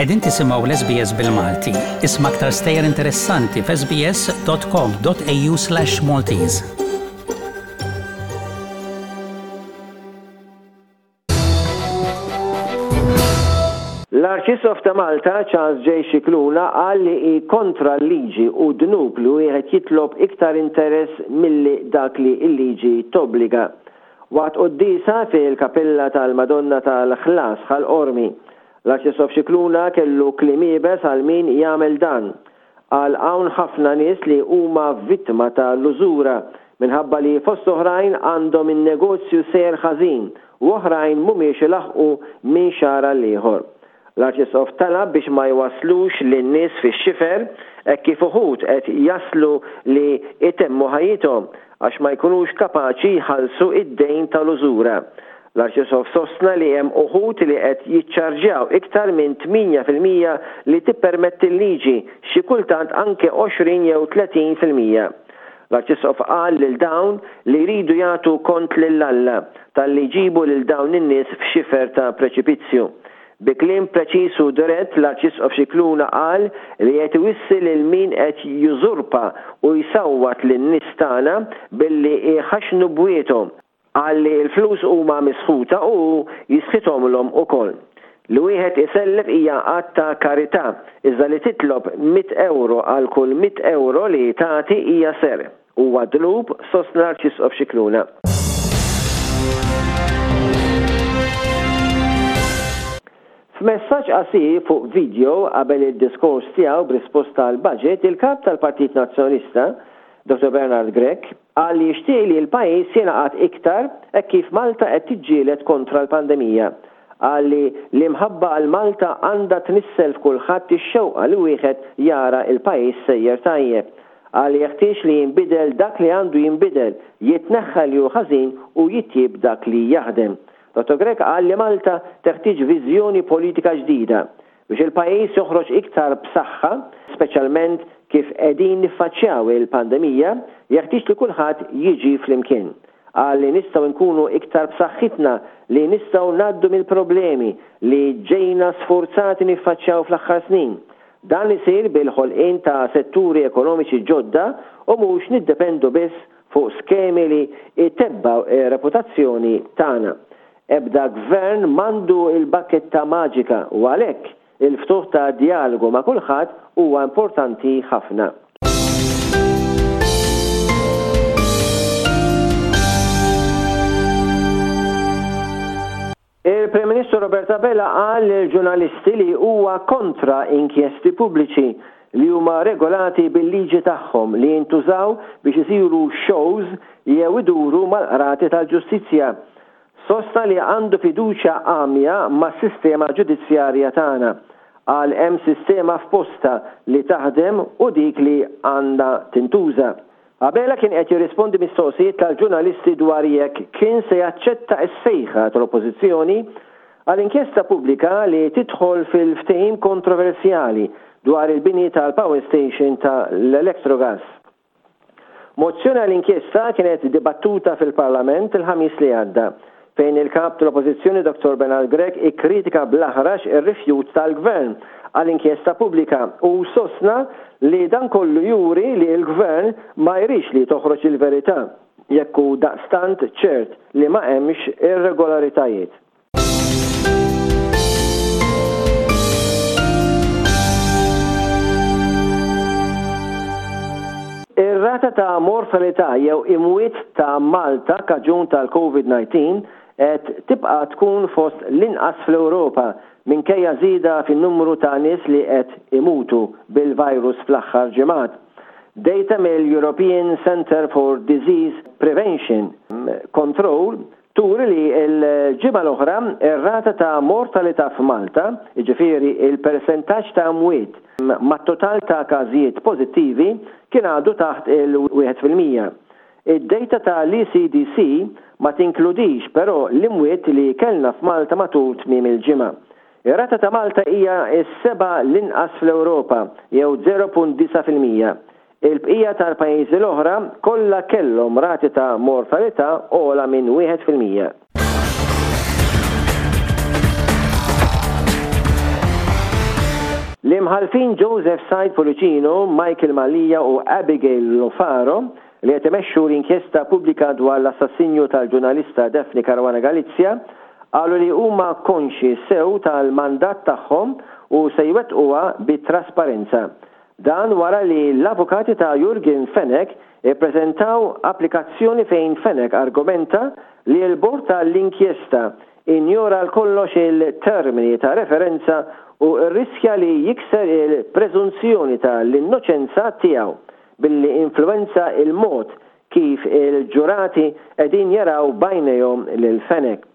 Qegħdin tisimgħu l-SBS bil-Malti. Isma' aktar stejjer interessanti f'sbs.com.au/maltese. L-Arċisqof ta' Malta, Charles J. Scicluna qal li hi kontra l-liġi u dnub li wieħed jitlob iktar interess milli dak li l-liġi tobbliga. Waqt quddiesa fil-Kapella tal-Madonna tal-Ħlas Ħal Qormi, l-Arċisqof Scicluna kellu kliem iebes għal min jagħmel dan. Qal hawn ħafna nies li huma vittma ta' l-użura minħabba li fost oħrajn għandhom in-negozju sejjer ħażin u oħrajn mhumiex ilaħħqu minn xahar għall-ieħor. L-Arċisqof talab biex ma jwasslux lin-nies fix-xifer hekk kif uħud qed jaslu li jtemmu ħajjithom għax ma jkunux kapaċi jħallsu d-dejn tal-użura. L-Arċisqof sostna li hemm uħud li qed jiċċarġjaw iktar minn 8% li tippermetti l-liġi, xi kultant anke 20 jew 30%. L-Arċisqof qal lil dawn li jridu jagħtu kont lil Alla talli jġibu lil dawn in-nies f'xifer ta' preċipizzju. Bi kliem preċiż u dirett l-Arċisqof Scicluna qal li qed iwissi lil min qed jużurpa u jsawwat lin-nies tagħna billi jħaxxnu bwiethom. Qal li l-flus huma misħuta u hu jisħithomlhom ukoll. Li wieħed isellef hija att ta' karità, iżda li titlob mitt ewro għal kull mitt ewro li tagħti hija serq. Huwa dnub, sostna l-Arċisqof Scicluna. F'messaġġ qasir fuq video qabel id-diskors tiegħu b'risposta għall-budget, il-Kap tal-Partit Nazzjonalista, Dottor Bernard Grech, Qal li jixtieq li l-pajjiż jingħaqad iktar hekk kif Malta qed tiġġieled kontra l-pandemija. Qal li l-imħabba għal Malta għandha tnissel f'kulħadd ix-xewqa li wieħed jara l-pajjiż sejjer tajjeb. Qal li jeħtieġ li jinbidel dak li għandu jinbidel, jitneħħa li hu ħażin u jitjieb dak li jaħdem. Dottor Grech qal li Malta teħtieġ viżjoni politika ġdida Biex il-pajjiż joħroġ iktar b'saħħa, speċjalment kif qegħdin niffaċċjaw il-pandemija, jeħtieġ li kulħadd jiġi flimkien. Qal li nistgħu nkunu iktar b'saħħitna li nistgħu ngħaddu mill-problemi li ġejna sfurzati niffaċċjaw fl-aħħar snin. Dan isir bil-ħolqien ta' setturi ekonomiċi ġodda u mhux niddependu biss fuq skemi li jtebbgħu r-reputazzjoni tagħna. Ebda gvern m'għandu l-bakketta maġika u għalhekk il-ftuħ ta' djalogu ma' kulħadd huwa importanti ħafna. Il-Prim Ministru Robert Abela qal lill-ġurnalisti li huwa kontra inkjesti pubbliċi li huma regolati bil-liġi tagħhom li jintużaw biex isiru shows jew iduru mal-qrati tal-ġustizzja. Sostna li għandu fiduċja għamja mas-sistema ġudizzjarja tagħna. Qal hemm sistema f'postha li taħdem u dik li għandha tintuża. Abela kien qed jirrispondi mistoqsijiet tal-ġurnalisti dwar jekk kien se jaċċetta s-sejħa tal-Oppożizzjoni għal inkjesta pubblika li tidħol fil-ftehim kontroversjali dwar il-bini tal-power station ta' l-Electrogas. Mozzjoni għal inkjesta kienet dibattuta fil-Parlament il-Ħamis li għadda, fejn il-Kap tal-Oppożizzjoni Dottor Bernard Grech ikkritika bl-aħrax ir-rifjut tal-Gvern għal inkjesta pubblika u sostna li dan kollu juri li l-Gvern ma jridx li toħroġ il-verità jekk hu daqstant ċert li ma hemmx irregolaritajiet. Ir-rata ta' mortalità jew imwiet ta' Malta kaġun tal-Covid-19 qed tibqa' tkun fost l-inqas fl-Ewropa minkejja żieda fin-numru ta' nies li qed imutu bil-virus fl-aħħar ġimgħat. Data mill-European Centre for Disease Prevention Control turi li l-ġimgħa l-oħra r-rata ta' mortalità f'Malta, jiġifieri l-persentaġġ ta' mwiet mat-total ta' każijiet pożittivi, kien għadu taħt il-1%. Id-dejta ta' l-ECDC ma tinkludix però l-imwiet li kellna f'Malta matul tmiem il-ġimgħa. Ir-rata ta' Malta hija s-seba' l-inqas fl-Ewropa, jew 0.9%. Il-bqija tal-pajjiżi l-oħra kollha kellhom rati ta' mortalità ogħla minn 1%. L-Imħallfin Joseph Said Pullicino, Michael Mallia u Abigail Lofaro, li qed imexxu l-inkjesta pubblika dwar l-assassinju tal-ġurnalista Daphne Caruana Galizia, qalu li huma konxji sew tal-mandat tagħhom u se jwettquha bi trasparenza. Dan wara li l-avukati ta' Yorgen Fenech ippreżentaw applikazzjoni fejn Fenech argumenta li l-bord tal-inkjesta injora għal kollox il-termini ta' referenza u rriskja li jikser il-preżunzjoni ta' l-innoċenza tiegħu billi influwenza l-mod kif il-ġurati qegħdin jaraw b'għajnejhom lil Fenech.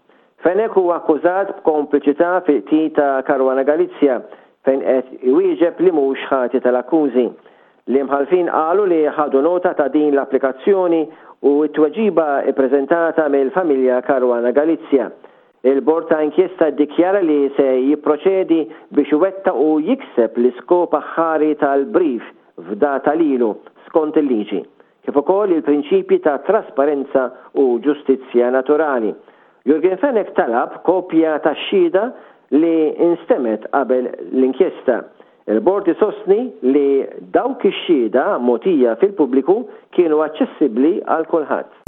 Fenech huwa akkużat b'kompliċità fil-qtil ta' Caruana Galizia fejn qed iwieġeb li mhux ħati tal-akkużi. L-Imħallfin qalu li ħadu nota ta' din l-applikazzjoni u t-tweġiba ppreżentata mill-familja Caruana Galizia. Il-Bord ta' Inkjesta ddikjara li se jipproċedi biex iwettaq u jikseb l-iskop aħħari tal-brief fdata lilu skont il-liġi. kif ukoll il-prinċipji ta' trasparenza u ġustizzja naturali. Yorgen Fenech talab kopja tax-xhieda li nstemgħet qabel l-inkjesta. Il-Bord isostni li dawk ix-xhieda mogħtija fil-pubbliku kienu aċċessibbli għal kulħadd.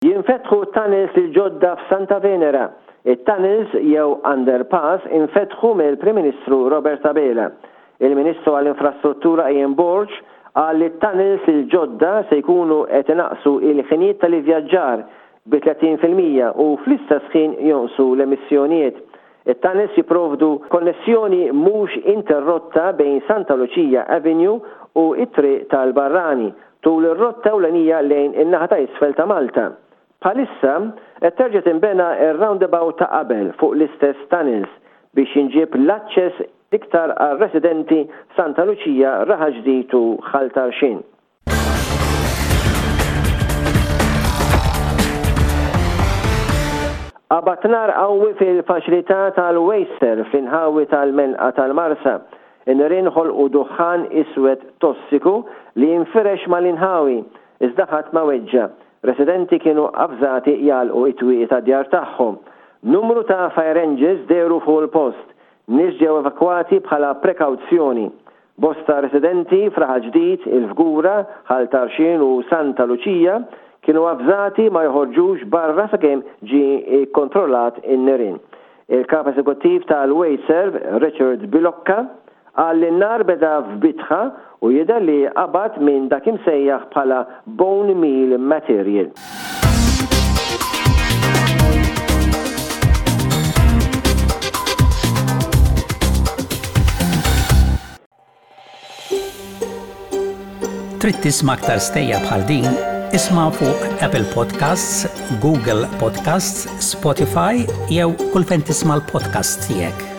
Jinfetħu t-tunnels il-ġodda f'Santa Venera. It-tunnels jew underpass infetħu mill-Prim Ministru Robert Abela. Il-Ministru għall-Infrastruttura Ian Borg qal li t-tunnels il-ġodda se jkunu qed inaqqsu il-ħinijiet tal-ivvjaġġar bi 30% u fl-istess ħin jonqsu l-emissjonijiet. It-tunnels jipprovdu konnessjoni mhux interrotta bejn Santa Lucia Avenue u t-Triq tal-Barrani tul ir-rotta ewlenija lejn in-naħa ta' isfel ta' Malta. Bħalissa, qed terġa' tinbena r-roundabout ta' qabel fuq l-istess tunnels biex jinġieb l-aċċess iktar għar-residenti f'Santa Luċija, Raħal Ġdid u Ħal Tarxien. Qabad nar qawwi fil-faċilità tal-Wasteserv fl-inħawi tal-Menqa tal-Marsa. In-nirien ħolqu duħħan iswed tossiku li infirex mal-inħawi, iżda ħadd ma weġġa'. Residenti kienu avżati jagħlqu t-twieqi tad-djar tagħhom. Numru ta' fire engines dehru fuq il-post. Nies ġew evakwati bħala prekawzjoni. Bosta residenti f'Raħal Ġdid, il-Fgura, Ħal Tarxien u Santa Luċija kienu avżati ma joħorġux barra sakemm ġie kkontrollat in-nirien. Il-Kap Eżekuttiv tal-Wasteserv, Richard Bilocca, qal li n-nar beda f'bitħa u jidher li qabad minn dak imsejjaħ bħala bone meal material. Trid tisma' aktar stejjer bħal din? Isma' fuq Apple Podcasts, Google Podcasts, Spotify jew kull fejn tisma' l-podcasts tiegħek.